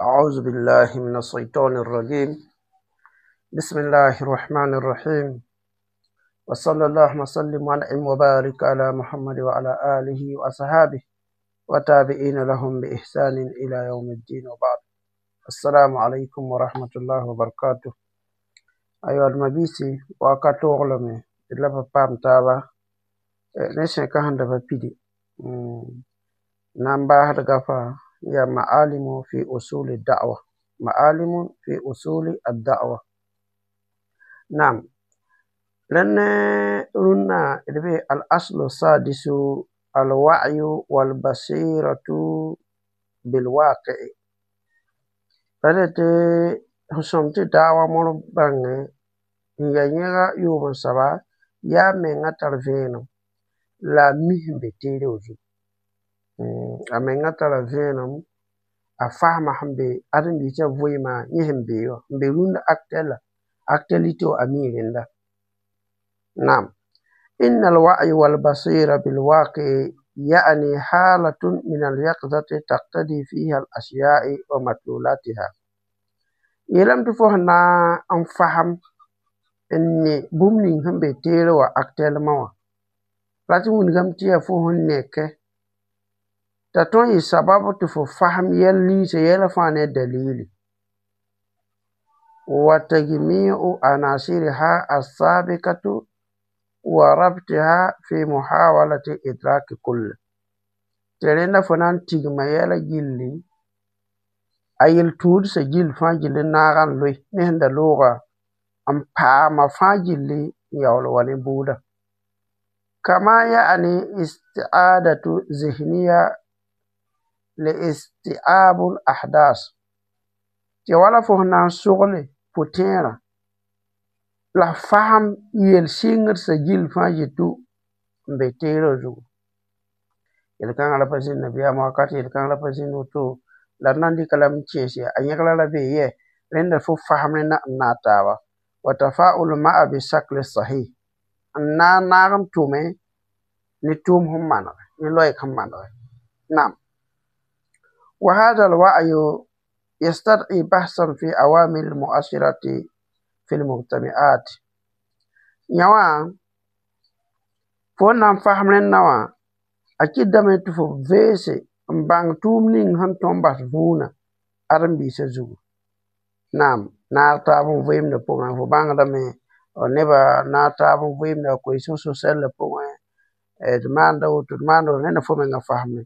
أعوذ بالله من الشيطان الرجيم. بسم الله الرحمن الرحيم، وصلى الله وسلم وأنعم وبارك على محمد وعلى آله وأصحابه وتابعين لهم بإحسان إلى يوم الدين، وبعد. السلام عليكم ورحمة الله وبركاته. أيها المبيسي وكاتوغلمي la pa paam taaba ne sẽka sẽn da pa pidi na n baasdga fãa yaa ma'alimu fi usuli da'wa, ma'alimu fi usuli ad-da'wa. Naam, rẽnd ne rũnnã d be al-aslu sadisu al-wa'yu wal-basiratu bil-waqi'i. La dẽ tɩ sẽn sõm tɩ daawa mõr bãngẽ n yaa yẽga yʋʋm n soaba yaa menga tar vẽenem la a mi sẽn be teere wã zugu. A menga tara vẽenem, a fasma sẽn be ãdem-biisã vɩɩmã, yẽ sẽn be wã n be rũndã actuel actualité wã, a mi rẽnda. Naam, إن الوعي والبصيرة بالواقع يعني حالة من اليقظة تقتضي فيها الأشياء ومدلولاتها. Yeelame tɩ fo sẽn na n fasem n ne bũmb ning sẽn be teere wã actuellement wã rat n wilgame tɩ yaa fo sẽn nekẽ t'a tõe n yɩ sabab tɩ fo fasem yɛl ninsã yɛla fãa ne dalili وتجميع عناصرها السابقة وربطها في محاولة إدراك كل. Tɩ rẽnda fo na n tigma yɛla gilli a yel-tũudsã gill fãa gill n naag n loe ne sẽn da looga n paama fãa gilli n yaool wa ne bʋʋda. كما يعني استعادة ذهنية لاستيعاب الأحداث. Tɩ wala fo sẽn na n sogle pʋ-tẽerã la f fasem yel-sɩngdsã gill fãa yetʋ n be teerã zugu. Yel-kãngã ra pa zĩnd nabiyaamã wakat, yel-kãngã ra pa zĩnd woto la d na n dɩka lame n kẽes a yẽgra ra bee yɛ rẽnda fo fasem rẽnda n naag taaba. وتفاعل معه بالشكل الصحيح n na n naag n tʋme ne tʋʋm sẽn manege ne loɛɛg sẽn manege. Naam, وهذا الوعي يستدعي بحثا في عوامل المؤثرة في المجتمعات. Yã wã fo n na n fasem rẽnda wã a kɩtdame tɩ fo veese n bãng tʋʋm ning sẽn tõe n bas vũunã ãdem-biisã zugu. Naam, naag taab n vɩɩmdã pʋgẽ fo bãngdame nebã naag taab n vɩɩmda cohésion sociale pʋgẽ d maanda woto d maanda woto rẽnda fo menga fasme.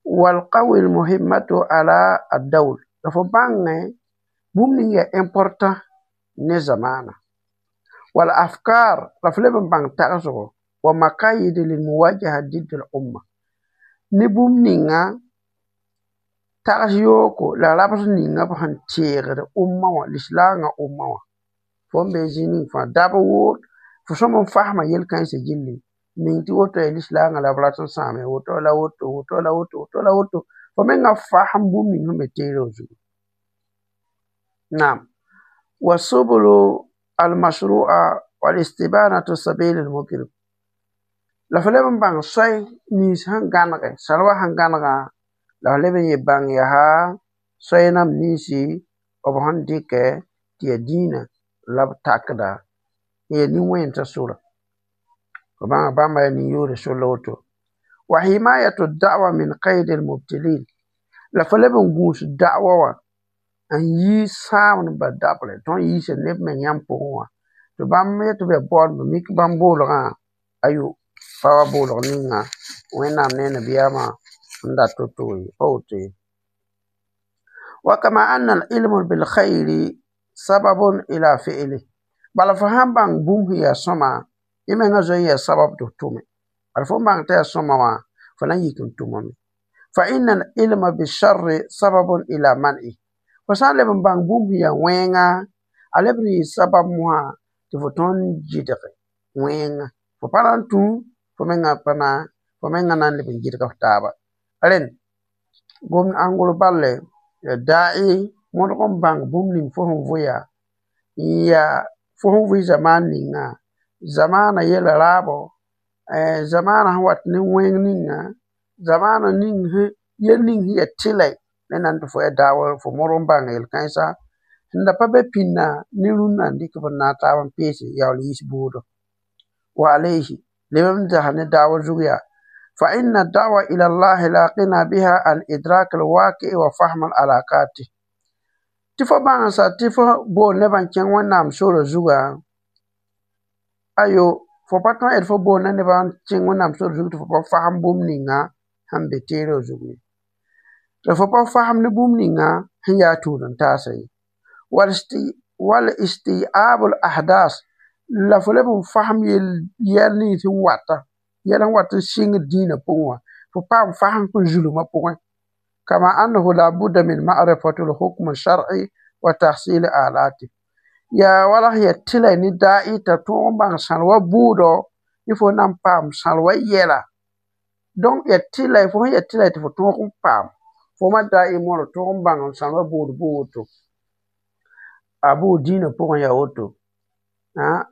والقوى المهمة على الدول la fo bãngẽ bũmb ning yaa important ne zamaana والأفكار la f leb n bãng tagsgo ومكايد للمواجهة ضد الأمة ne bũmb ninga tags yooko la rabs ninga b sẽn teegd umma wã lislaangã umma wã fo n be zĩ ning fãa dab woor fo sõm n fasma yel-kãensã gilli ning tɩ woto yaa lislaangã la b rat n sãame woto la woto woto la woto woto la woto fo menga fasem bũmb ning sẽn be teerã zugu. Naam, والسبل المشروعة والاستبانة سبيل المجرم la f leb n bãng soay nins sẽn gãnege salwa sẽn gãnegã la f leb n yɩ bãng yaa soay nam ninsi b sẽn dɩkɛ tɩ yaa dĩinã la b takda n yaa nin-wẽnsã sora fo bãnga bãmba yaa nin-yoore sor la woto. وحماية الدعوة من قيد المبتلين la fo leb n gũus da'wa wã n yi sãamdbã dabre tõnd yiisa neb me yãmb pʋgẽ wã tɩ bãmb yetɩ b yaa baoodba mik bãmb boolgã ayo pa wa boolg ninga Wẽnnaam ne nabiyaamã n dat to-to ye pa woto ye. وكما أن العلم بالخير سبب إلى فعله bala fo sãn bãng bũmb sẽn yaa sõma yẽ mengã zoe n yaa sabab tɩ f tʋme bala fo n bãng tɩ yaa sõma wã fo na n yik n tʋmame. فإن العلم بالشر سبب إلى منعه fo sã n leb n bãng bũmb sẽn yaa wẽnga a leb n yɩ sabab mosã tɩ fo tõnd n gɩdge wẽnga fo pa na n tũ fo menga pa na fo menga na n leb n gɩdg f taaba. Rẽnd gomd ãngr balle da'i mõdg n bãng bũmb ning fo sẽn vʋya n yaa fo sẽn vʋɩ zamaan ninga zamaana yɛla raabo zamaana sẽn wat ne wẽng ninga zamaana ning yel ning sẽn yaa tɩlɛ. Rẽnd tɩ fo yaa daawa fo modg n bãnga yel-kãensã sẽn da pa be pĩnda ne rũnnã n dɩk b n naag taab n peese yaool yiis bʋʋdo. Wa alayhi leb n zas ne daawa zug yaa fa inna da'wa ila allahi la qina biha an idrak alwaqi wa fahm alaqati tɩ fo bãngsa tɩ fo bool nebã n kẽng Wẽnnaam sora zugã, ayo, fo pa tõe d fo boolda nebã n kẽng Wẽnnaam sora zug tɩ fo pa fasem bũmb ninga sẽn be teerã zug ye. La fo pa fasem ne bũmb ninga sẽn yaa tũud-n-taasã ye. Wal isti'ab al ahdas la fo leb n fasem yɛl nins sẽn wata, yɛl sẽn wat n sɩngd dĩinã pʋgẽ wã, fo paam fasem n zulmã pʋgẽ. Kama annahu la budda min ma'rifati al-hukm al-shar'i wa tahsil alati. Yaa wala sẽn yaa tɩla ne da'i t'a tõog n bãng sãl wa bʋʋdɔ ne fo na n paam sãl wa yɛla. Donc yaa tɩla fo sẽn yaa tɩla tɩ fo tõog n paam fo ma da'i mõr tõog n bãng sãl wa bʋʋd bʋ woto. A bʋʋ dĩinã pʋgẽ yaa woto.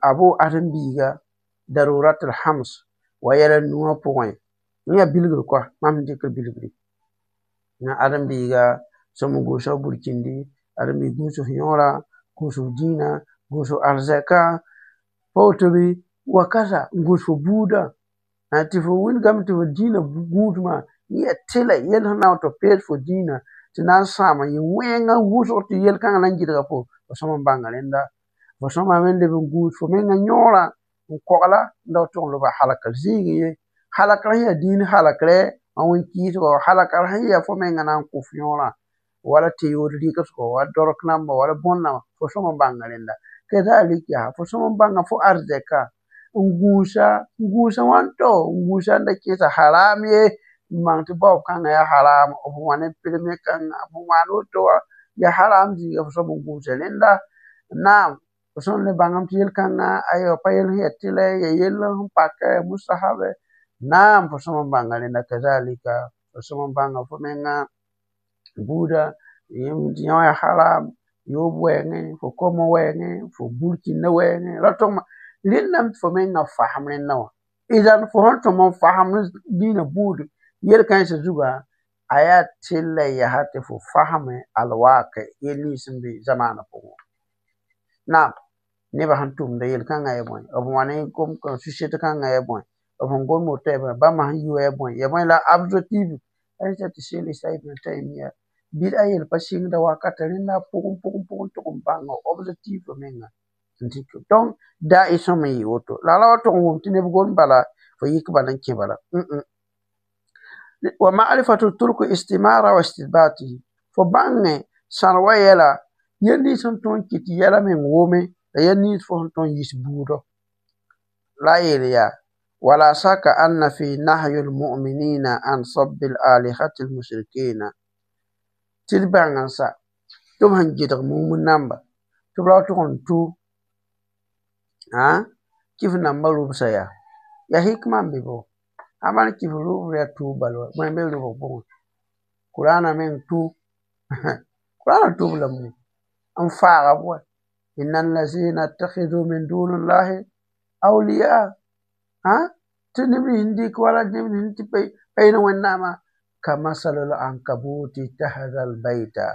A bʋʋ ãdem-biiga darurat al-hams wa yɛl a nuwã pʋgẽ. Yẽ yaa bilgr koa, mam sẽn dɩkr bilgri. Ãdem-biiga sõm n gũus f burkindi, ãdem-biig gũus f yõora, gũus f dĩinã, gũus f arzɛkã, pa woto bɩ wakata n gũus fo buudã tɩ fo wilgame tɩ fo dĩinã gũusmã yẽ yaa tɩla yell sẽn na n tɩ f pees fo dĩinã tɩ na n sãama yẽ wẽngã wʋsg tɩ yel-kãngã na n gɩdga fo, fo sõm n bãnga rẽnda. Fo sõmame n leb n gũus fo mengã yõorã n kogla n da tʋg n loba halkr zĩigẽ ye. Halkr sẽn yaa dĩin halkrɛ n wẽn-kɩɩsgo, halkr sẽn yaa fo mengã na n kʋ f yõorã wala tɩ-yood rɩgsgo wala dork namba wala bõn-namba, fo sõm n bãnga rẽnda. Kazalik yaa fo sõm n bãnga fo arzɛka n gũusa n gũusa wãnto n gũusa n da kẽesa haram ye n bãng tɩ baoob kãngã yaa haram, f wã ne perme kãngã, f wãan woto wã yaa haram zĩiga fo sõm n gũusa rẽnda. Naam, fo sõm le bãngame tɩ yel-kãngã ayo pa yel sẽn yaa tɩlɛ, yaa yell sẽn pakɛ, mustahabe. Naam, fo sõm n bãnga rẽnda kazalika fo sõm n bãnga fo menga buudã tɩ yõ yaa haram, yoob wɛɛngẽ, fo komã wɛɛngẽ, fo burkĩndã wɛɛngẽ, ra tʋgma rẽndame tɩ fo mengã fasem rẽndã wã. Idan fo sẽn tõm n fasem dĩinã buud yel-kãensã zugã, a yaa tɩlɛ yaa tɩ fo fasme alwaqi yel nins sẽn be zamaanã pʋgẽ wã. Naam, nebã sẽn tʋmda yel-kãngã yaa bõe, b wã ne société kãngã yaa bõe, b sẽn gom woto yaa bõe, bãmba sẽn yi wã yaa bõe, yaa bõe la objectif tɩ Sheikh Ibn Taymiya bɩd a yel pa sɩngda wakata rẽnda pʋgẽ pʋgẽ pʋgẽ tʋg n bãnga objectif menga n dɩk. Donc da'i sõm n yɩ woto. La ra wa tʋg n wʋm tɩ neb gom bala fo yik bala n kẽ bala. Wa ma'rifatu turku istimara wa istibatihi. Fo bãngẽ sãr wa yɛla yel nins sẽn tõe n kɩt tɩ yɛla meng wome la yel nins fo sẽn tõe n yis buudɔ. La a yeel yaa wala shaka anna fi nahyi lmuminina an sabbi alihati lmushrikina tɩ d bãng n sa tɩ b sẽn gɩdg mumd namba tɩ b ra tʋg n tʋ kɩf nambã rʋbsã yaa yaa hikma n be bo. Ãmba kɩf rʋbr yaa tuub bal wa, bõe n be rʋbg pʋgẽ? Kʋraanã meng tũ Kʋraanã tʋb lame n faaga b wa. Inna allazina ittakhidhu min dunillahi awliya tɩ neb nins n dɩk wala neb nins tɩ pa yel Wẽnnaamã kamasalil ankabuti ittakhadha albayta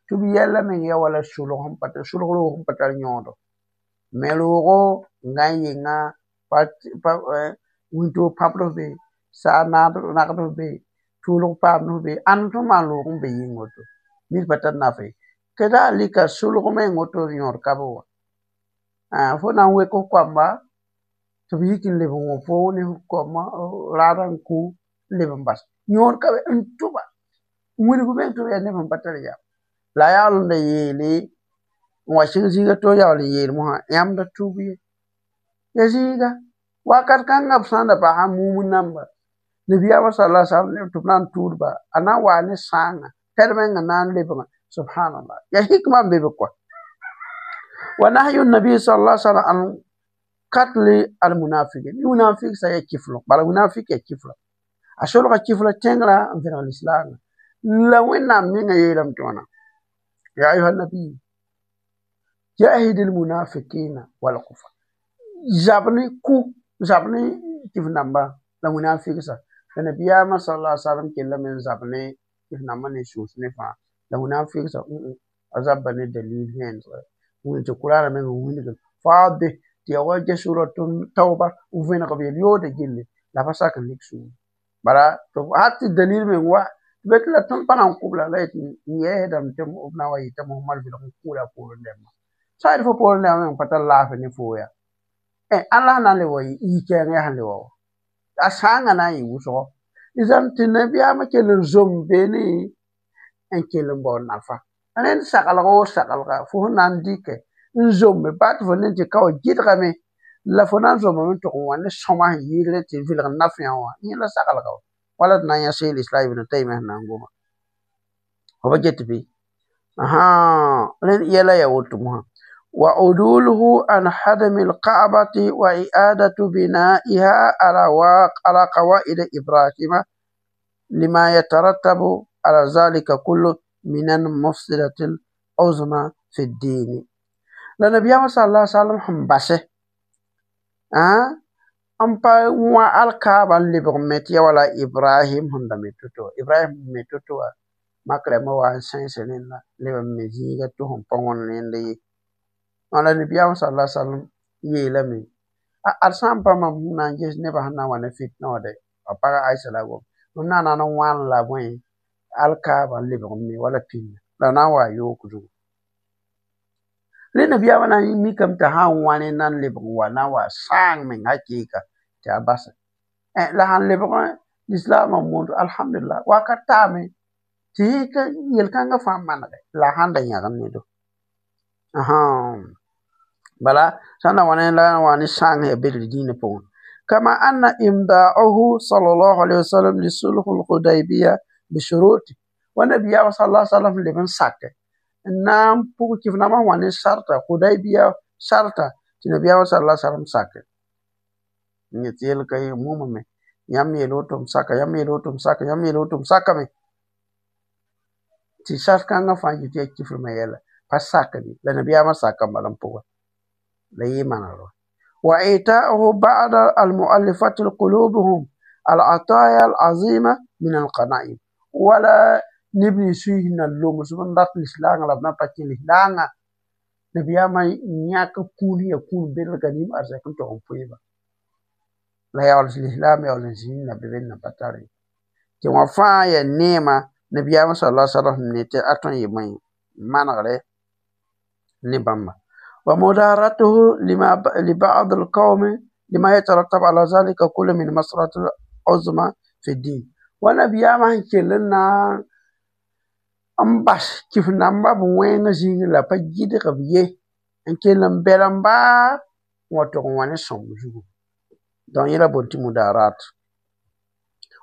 tɩ b yɛla meng yaa wala sʋlg sẽn pa sʋlg roog sẽn pa tar yõodo. Me roogo n gã n yenga wĩntoog pãbd f be, saag nagd f be, tʋʋlg paamd f be, ãnd tõe n maan roog n be yĩng woto nid pa tar nafa ye. Kazalika sʋlg meng woto yõod ka be wã. Fo na n wek f koamba tɩ b yik n leb n wõ fo ne f koamã raadã n kũ n leb n bas. Yõod ka be n tʋba wilg meng tɩ b yaa neb sẽn pa tar yam. La a yaool n da yeele n wa sɩng zĩiga tɩ yaool n yeel mosã yãmb da tʋb ye. Ya zĩiga wakat kãngã b sã n da basa mumd namba nabiyaamã sala sallam tɩ b na n tʋʋdba a na n waa ne sãanga tɛd mengã na n lebgã subhanallah ya hikma n be be koa. Wa nahyu nabi sallallahu alaihi wasallam an katli al munafiqin munafik sa ya kiflo bala munafik ya kiflo a solga kifla tẽngrã n vẽneg lislaangã la Wẽnnaam menga yeelame tɩ wãna ya ayuha nabiyu jahid almunafiqina walkufar zab ne kʋ zab ne kɩf namba la munafiksa la nabiyaamã sallallahu alaihi wasallam kellame n zab ne kɩf nambã ne sũus ne fãa. La wẽnnaam fɩgsa a zabba ne dalil vẽensga wẽn tɩ kuraana meng n wilgd faade tɩ ya wa ges sʋra tauba n vẽneg b yel-yoodã gilli la pa sak n lik sũur bala tɩ hal tɩ dalil meng wa tɩ be tɩ la tõnd pa na n kʋb la la yetɩ n yɛɛsdame tɩ b na n wa yɩta Mohamad vɩlg n kũuda a poorẽ dẽmba sã n yet fo poorẽ dẽmbã meng pa tar laafɩ ne foo yaa ãn la sẽn na n le wa yi-kɛɛng yaa sẽn le wa wa a sãangã na n yɩ wʋsgo zãm tɩ nabiyaamã kell n zom beene n kell n bao nafa rẽnd saglg o saglga fo sẽn na n dɩkɛ n zombe baa tɩ fo ne tɩ ka wa gɩdgame la fo na n zomame n tʋg n wa ne sõma sẽn yɩɩdre tɩ vɩlg nafyã wã yẽ la saglga wa wala d na n yã Sheikh Islam Ibn Taymiya sẽn na n goma fo pa get bɩ rẽnd yɛla yaa woto mosã وعدوله عن هدم الكعبة وإعادة بنائها على قواعد إبراهيم لما يترتب على ذلك كله من المفسدة العظمى في الدين. La nabiyaamã صلى الله عليه وسلم sẽn basɛ n pa wã alkaaba n lebg me tɩ ya wala Ibrahim sẽn da me to-to Ibrahim me to-to wã makrã wa n sẽns rẽnda leb n me zĩiga tɩ sẽn pa wõnd rẽnd ye. La nabiyaamã صلى الله عليه وسلم yeelame ad sã n pa mam sẽn na n ges nebã sẽn na n wa ne fitna wã dɛ a paga Aisha la a gom m na n na n wãn la bõe alkaaba n lebg n me wala pĩnda la na n wa yook zugu. Rẽ nabiyaamã na n mikame tɩ sã n wã rẽnda n lebg n wa na n wa sãang meng hakɩɩka tɩ a basa la sãn lebg lislaamã mondo alhamdulillah wakat taame tɩ yẽ yel-kãngã fãa manege la sãn da yãgd nedo. Bala sã n na wa ne la n wa ne sãang ya bedr dĩinã pʋgẽ. كما أن إمضاءه صلى الله عليه وسلم لصلح الحديبية بشروطه والنبي صلى الله عليه وسلم لمن ساك نام pʋg kɩf namã wã ne sarta Hudaybiya sarta tɩ nabiyaamã صلى الله عليه وسلم sake yẽ tɩ yel ka mumame yãmb yeel woto m saka yãmb yeel woto m saka yãmb yeel woto m sakame tɩ sar-kãngã fãa yɩ tɩ yaa kifrmã yɛla pa sakd la nabiyaamã saka n bala n pʋgẽ la yɩ manegr وإيتاؤه بعض المؤلفة قلوبهم العطايا العظيمة من الغنائم ولا نبني سويهن اللوم سبحان الله الإسلام لا بنا باكين الإسلام نبياما نياك كون يكون بالغنيم أرزاكم تقوم فيبا لا يعلم الإسلام يعلم سين نبي بين بطاري tɩ wã fãa yaa neema nabiyaamã صلى الله عليه وسلم ne tɩ a tõe n yɩ bõe manegre ne bãmba. ومدارته لما لبعض القوم لما يترتب على ذلك كل من مصلحة العظمى في الدين ونبيامã sẽn kell n na n bas kɩf namba b wẽngã zĩigẽ la pa gɩdg b ye n kell n bɛl n baa n wa tʋg n wa ne sõmb zugu. Donc yẽ la boond tɩ mudarat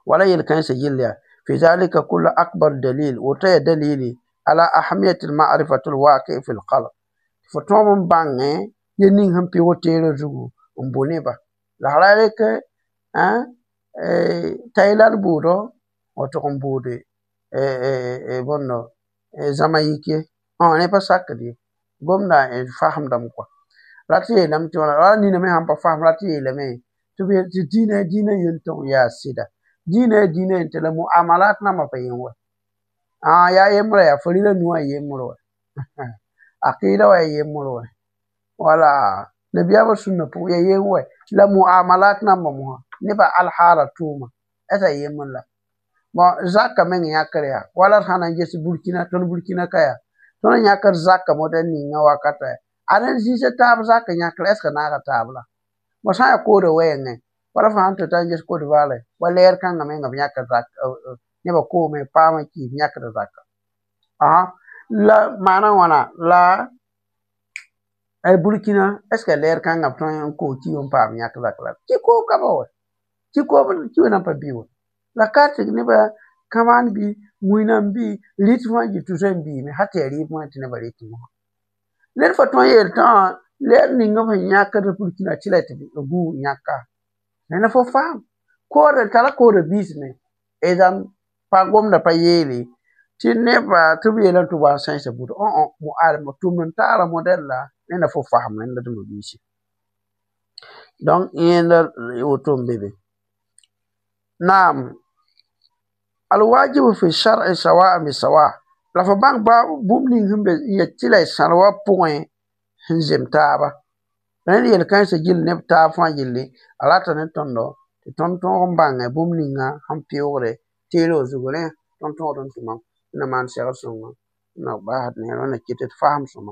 wala yel-kãensã gill yaa في ذلك كل أكبر دليل woto yaa dalili على أهمية المعرفة الواقع في الخلق fo tõog n bãngẽ yel ning sẽn pɩg teerã zugu n bʋ neba la ra rek Thailand bʋʋdɔ wa tʋg n bʋʋde bõndo zãma yik ye rẽ pa sakd ye gomda n fasmdame kɔa rat yeelame tɩ wala nina me sãn pa fasem rat yeelame tɩ dĩinã dĩinã yel-tõng yaa sɩda dĩinã yaa dĩinã yentẽ la muamalat nambã pa yẽ wa yaa yembrã yaa farila nu wã yembr wa aqida wa yembr wa wala nabiyaamã sũnna pʋgẽ yaa yem wa la muamalat nambã mosã nebã alhaala tʋʋma asa yembr la bon zaka meng yãkr yaa wala d sã na n ges Burkina tõnd Burkina ka yaa tõnd n yãkr zaka modã ninga wakata yaa ad n zĩisa taab zak yãkr est ce que naaga taab la bõ sã n yaa koodã wɛɛngẽ wala fo sãn tota n ges Côte d'Ivoire wa lɛɛr kãngã menga b yãkr zak nebã koome paam n kɩɩs yãkd zaka la maana wãna la Burkina est ce que lɛɛr kãngã b tõe n koog ki n paam yãk zak la tɩ koog ka ba wa tɩ koog ki nan pa bɩ wa la ka tɩ nebã kãmaan bɩ wĩnam bɩ rɩt fãa yɩ tʋsa n biime hal tɩ yaa rɩɩb wã tɩ nebã rɩt mosã ned fa tõe n yeel tã lɛɛr ning b sẽn yãkd Burkina tɩ la tɩ gũud yãka ned fo faam koodã tara koodã biisme zãm pa gomdã pa yeele tɩ nebã tɩ b yeelame tɩ b wa n sẽnsa buda alma tʋmd n taara modɛl la ned fo fasem rẽnda tɩ biisi donc yẽnda woto n be be. نعم، الواجب في الشرع سواء بسواء. La fo bãng ba bũmb ning sẽn be n yet tɩ la y sãd wã pʋgẽ sẽn zem taaba. Rẽnd yel-kãensã gill neb taab fãa yelle, a rata ne tõndo tɩ tõnd tõog n bãnge bũmb ninga sẽn peoogde teelg zugu. Rẽ tõnd tõogd n tʋmam na maan segr sõngo na basd ne wẽnna ket d fasem sõma.